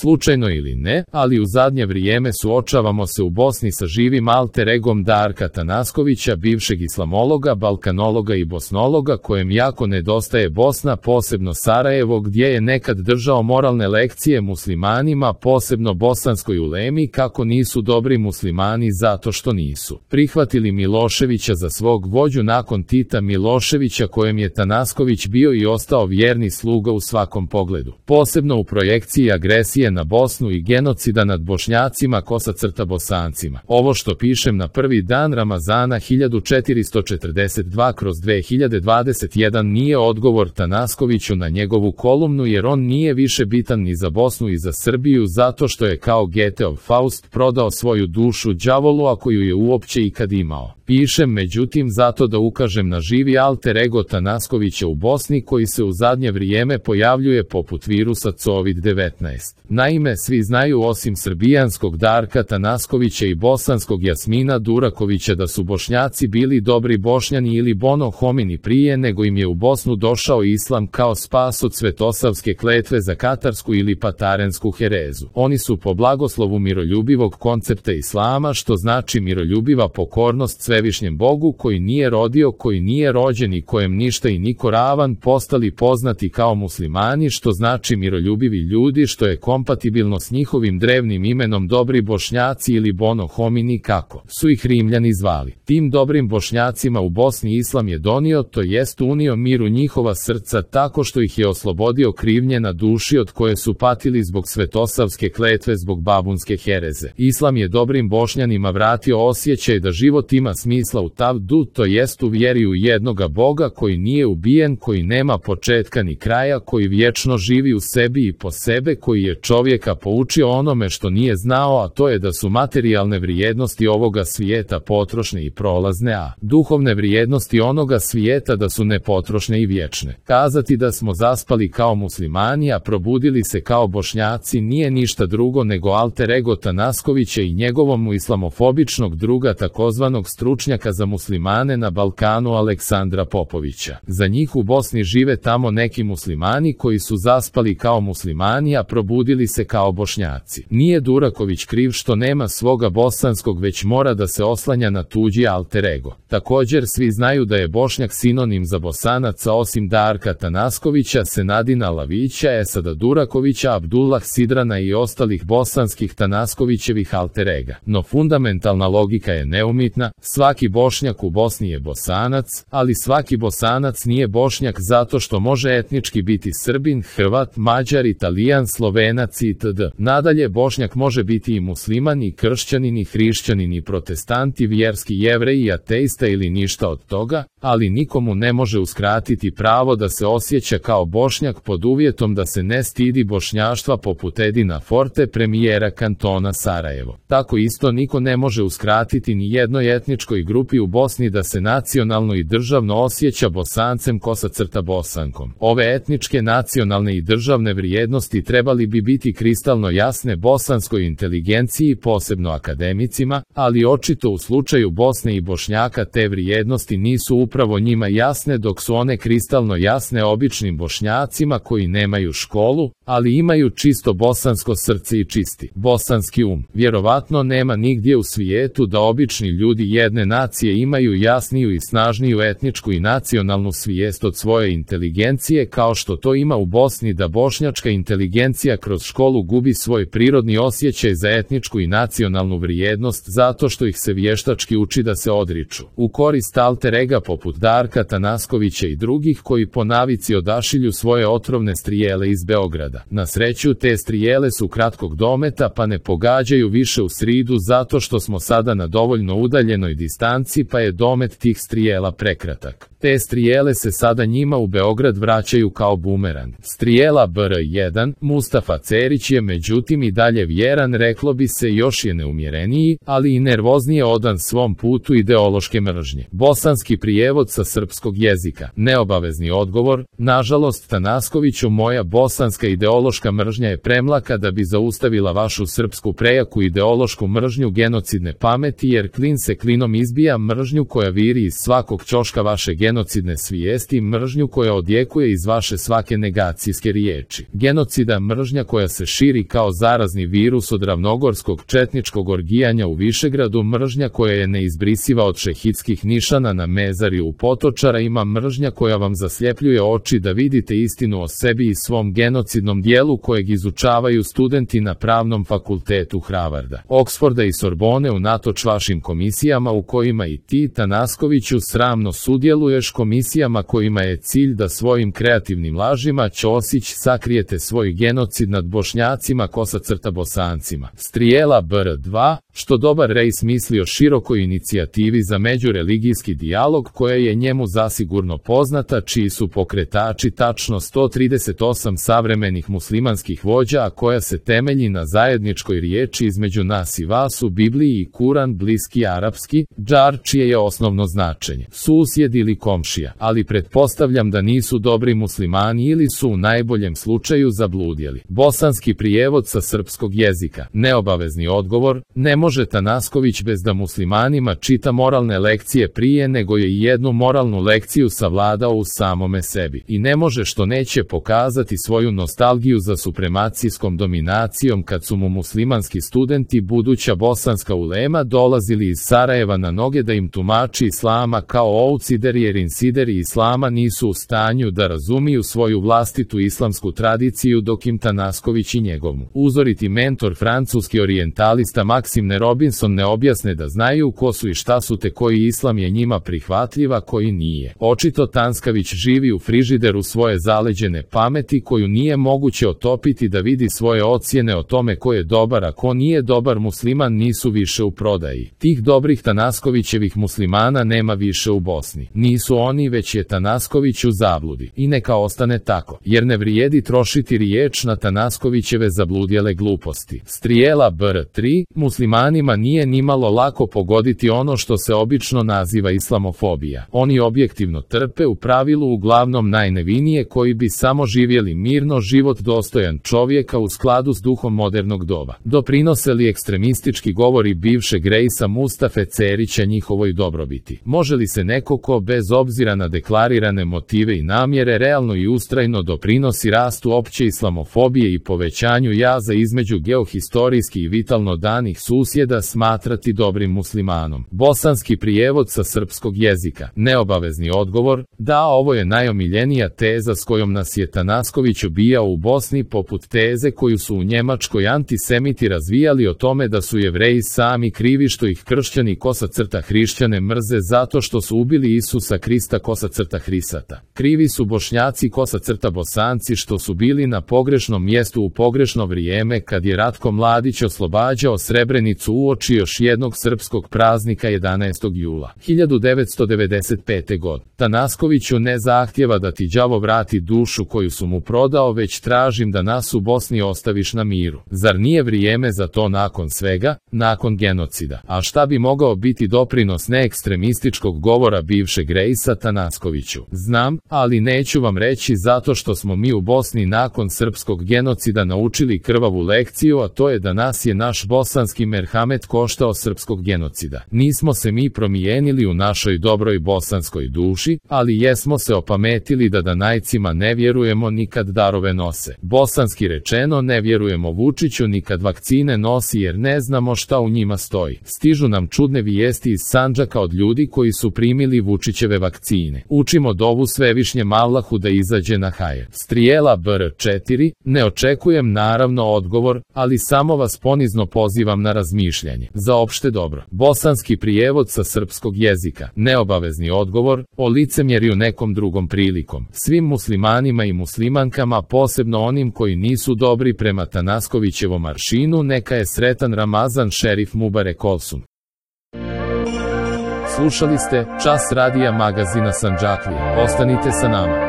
Slučajno ili ne, ali u zadnje vrijeme suočavamo se u Bosni sa živim alter egom Darka Tanaskovića, bivšeg islamologa, balkanologa i bosnologa, kojem jako nedostaje Bosna, posebno Sarajevo, gdje je nekad držao moralne lekcije muslimanima, posebno bosanskoj ulemi, kako nisu dobri muslimani zato što nisu prihvatili Miloševića za svog vođu nakon Tita Miloševića, kojem je Tanasković bio i ostao vjerni sluga u svakom pogledu, posebno u projekciji agresije na Bosnu i genocida nad Bošnjacima / Bosancima. Ovo što pišem na prvi dan Ramazana 1442/2021 nije odgovor Tanaskoviću na njegovu kolumnu, jer on nije više bitan ni za Bosnu i za Srbiju, zato što je kao Goetheov Faust prodao svoju dušu đavolu, ako ju je uopće ikad imao. Pišem međutim zato da ukažem na živi alter ego Tanaskovića u Bosni, koji se u zadnje vrijeme pojavljuje poput virusa COVID-19. Naime, svi znaju osim srbijanskog Darka Tanaskovića i bosanskog Jasmina Durakovića da su Bošnjaci bili dobri Bošnjani ili bono homini prije nego im je u Bosnu došao islam kao spas od svetosavske kletve za katarsku ili patarensku herezu. Oni su po blagoslovu miroljubivog koncepta islama, što znači miroljubiva pokornost svevišnjem Bogu, koji nije rodio, koji nije rođen i kojem ništa i niko ravan, postali poznati kao muslimani, što znači miroljubivi ljudi, što je kompatibilno s njihovim drevnim imenom dobri Bošnjaci ili bono homini, kako su ih Rimljani zvali. Tim dobrim Bošnjacima u Bosni islam je donio, to jest unio mir u njihova srca tako što ih je oslobodio krivnje na duši od koje su patili zbog svetosavske kletve, zbog babunske hereze. Islam je dobrim Bošnjanima vratio osjećaj da život ima smisla u tavdu, to jest u vjeri u jednoga Boga koji nije ubijen, koji nema početka ni kraja, koji vječno živi u sebi i po sebe, koji je čovjeka poučio onome što nije znao, a to je da su materijalne vrijednosti ovoga svijeta potrošne i prolazne, a duhovne vrijednosti onoga svijeta da su nepotrošne i vječne. Kazati da smo zaspali kao muslimani, a probudili se kao Bošnjaci nije ništa drugo nego alter ego Tanaskovića i njegovom islamofobičnog druga, takozvanog stručnjaka za muslimane na Balkanu, Aleksandra Popovića. Za njih u Bosni žive tamo neki muslimani koji su zaspali kao muslimani, a probudili se kao Bošnjaci. Nije Duraković kriv što nema svoga bosanskog, već mora da se oslanja na tuđi alter ego. Također svi znaju da je Bošnjak sinonim za Bosanaca, osim Darka Tanaskovića, Senadina Lavića, Esada Durakovića, Abdullah Sidrana i ostalih bosanskih Tanaskovićevih alter ega. No fundamentalna logika je neumitna, svaki Bošnjak u Bosni je Bosanac, ali svaki Bosanac nije Bošnjak zato što može etnički biti Srbin, Hrvat, Mađar, Italijan, Slovenac itd. Nadalje, Bošnjak može biti i musliman i kršćanin i hrišćanin i protestant i vjerski Jevrej i ateista ili ništa od toga, ali nikomu ne može uskratiti pravo da se osjeća kao Bošnjak pod uvjetom da se ne stidi bošnjaštva poput Edina Forte, premijera kantona Sarajevo. Tako isto niko ne može uskratiti ni jednoj etničkoj grupi u Bosni da se nacionalno i državno osjeća Bosancem / Bosankom. Ove etničke, nacionalne i državne vrijednosti trebali bi biti kristalno jasne bosanskoj inteligenciji, posebno akademicima, ali očito u slučaju Bosne i Bošnjaka te vrijednosti nisu upravo njima jasne, dok su one kristalno jasne običnim Bošnjacima koji nemaju školu, ali imaju čisto bosansko srce i čisti bosanski um. Vjerovatno nema nigdje u svijetu da obični ljudi jedne nacije imaju jasniju i snažniju etničku i nacionalnu svijest od svoje inteligencije kao što to ima u Bosni, da bošnjačka inteligencija kroz školu gubi svoj prirodni osjećaj za etničku i nacionalnu vrijednost zato što ih se vještački uči da se odriču u korist alter ega poput Darka Tanaskovića i drugih koji po navici odašilju svoje otrovne strijele iz Beograda. Na sreću te strijele su kratkog dometa pa ne pogađaju više u sridu zato što smo sada na dovoljno udaljenoj distanci pa je domet tih strijela prekratak. Te strijele se sada njima u Beograd vraćaju kao bumerang. Strijela BR1, Mustafa Cerić je međutim i dalje vjeran, reklo bi se još je neumjereniji, ali i nervoznije odan svom putu ideološke mržnje. Bosanski prijevod sa srpskog jezika. Neobavezni odgovor: nažalost Tanaskoviću, moja bosanska ideološka mržnja je premlaka da bi zaustavila vašu srpsku prejaku ideološku mržnju genocidne pameti, jer klin se klinom izbija mržnju koja viri iz svakog ćoška vaše genocidne svijesti, mržnju koja odjekuje iz vaše svake negacijske riječi. Genocida mržnja koja se širi kao zarazni virus od ravnogorskog četničkog orgijanja u Višegradu, mržnja koja je neizbrisiva od šehidskih nišana na mezariju u Potočara, ima mržnja koja vam zasljepljuje oči da vidite istinu o sebi i svom genocidnom dijelu kojeg izučavaju studenti na Pravnom fakultetu Harvarda, Oksforda i Sorbone unatoč vašim komisijama u kojima i ti, Tanaskoviću, sramno sudjeluješ, komisijama kojima je cilj da svojim kreativnim lažima Ćosić sakrijete svoj genocid nad Bošnjacima, Bosancima. Strijela BR2, što dobar Rejs misli o širokoj inicijativi za međureligijski dijalog koja je njemu zasigurno poznata, čiji su pokretači tačno 138 savremenih muslimanskih vođa, a koja se temelji na zajedničkoj riječi između nas i vas u Bibliji i Kuran, bliski arapski, džar, čije je osnovno značenje susjed ili komšija, ali pretpostavljam da nisu dobri muslimani ili su u najboljem slučaju zabludjeli. Bosanski prijevod sa srpskog jezika. Neobavezni odgovor: ne može Tanasković bez da muslimanima čita moralne lekcije prije nego je i jednu moralnu lekciju savladao u samome sebi. I ne može što neće pokazati svoju nostalgiju za supremacijskom dominacijom kad su mu muslimanski studenti, buduća bosanska ulema, dolazili iz Sarajeva na noge da im tumači islama kao outsider, jer insideri islama nisu u stanju da razumiju svoju vlastitu islamsku tradiciju, dok im Tanasković i njegov uzoriti mentor francuski orijentalista Maxime Robinson ne objasne da znaju ko su i šta su te koji islam je njima prihvatljiv, a koji nije. Očito Tanskavić živi u frižideru svoje zaleđene pameti koju nije moguće otopiti da vidi svoje ocjene o tome ko je dobar a ko nije dobar musliman nisu više u prodaji. Tih dobrih Tanaskovićevih muslimana nema više u Bosni. Nisu oni, već je Tanasković u zabludi. I neka ostane tako, jer ne vrijedi trošiti riječ na Tanaskovićeve zabludjele gluposti. Strijela BR3, muslimanima nije nimalo lako pogoditi ono što se obično naziva islamofobija. Oni objektivno trpe, u pravilu uglavnom najnevinije, koji bi samo živjeli mirno život dostojan čovjeka u skladu s duhom modernog doba. Doprinose li ekstremistički govori bivšeg Rejsa Mustafe Cerića njihovoj dobrobiti? Može li se neko ko bez obzira na deklarirane motive i namjere realno i ustrajno doprinosi rastu opće islamofobije i povećanju jaza između geohistorijski i vitalno danih susjeda smatrati dobrim muslimanom? Bosanski prijevod sa srpskog jezika. Neobavezni odgovor: da, ovo je najomiljenija teza s kojom nas je Tanasković ubijao u Bosni, poput teze koju su u Njemačkoj antisemiti razvijali o tome da su Jevreji sami krivi što ih kršćani hrišćane mrze zato što su ubili Isusa Krista Hrisata. Krivi su Bošnjaci Bosanci što su bili na pogrešnom mjestu u pogrešno vrijeme kad je Ratko Mladić oslobađao Srebrenicu uoči još jednog srpskog praznika 11. jula 1995. godine. Tanaskoviću ne zahtjeva da ti đavo vrati dušu koju su mu prodao, već tražim da nas u Bosni ostaviš na miru. Zar nije vrijeme za to nakon svega, nakon genocida? A šta bi mogao biti doprinos neekstremističkog govora bivšeg Rejsa Tanaskoviću? Znam, ali neću vam reći zato što smo mi u Bosni nakon srpskog genocida naučili krvavu lekciju, a to je da nas je naš bosanski merhamet koštao srpskog genocida. Nismo se mi promijenili u našoj dobroj bosanskoj duši, ali jesmo se opametili da danajcima ne vjerujemo nikad darove nose. Bosanski rečeno, ne vjerujemo Vučiću nikad vakcine nosi jer ne znamo šta u njima stoji. Stižu nam čudne vijesti iz Sandžaka od ljudi koji su primili Vučićeve vakcine. Učimo dovu Svevišnjem Allahu da izađe na hajer. Strijela BR4, ne očekujem naravno odgovor, ali samo vas ponizno pozivam na razmišljanje. Za opšte dobro. Bosanski prijevod sa srpskog jezika. Neobavezni odgovor: o licemjerju nekom drugom prilikom. Svim muslimanima i muslimankama, posebno onim koji nisu dobri prema Tanaskovićevom aršinu, neka je sretan Ramazan, šerif Mubarek Olsun. Slušali ste Čas radija magazina Sandžaklija. Ostanite sa nama.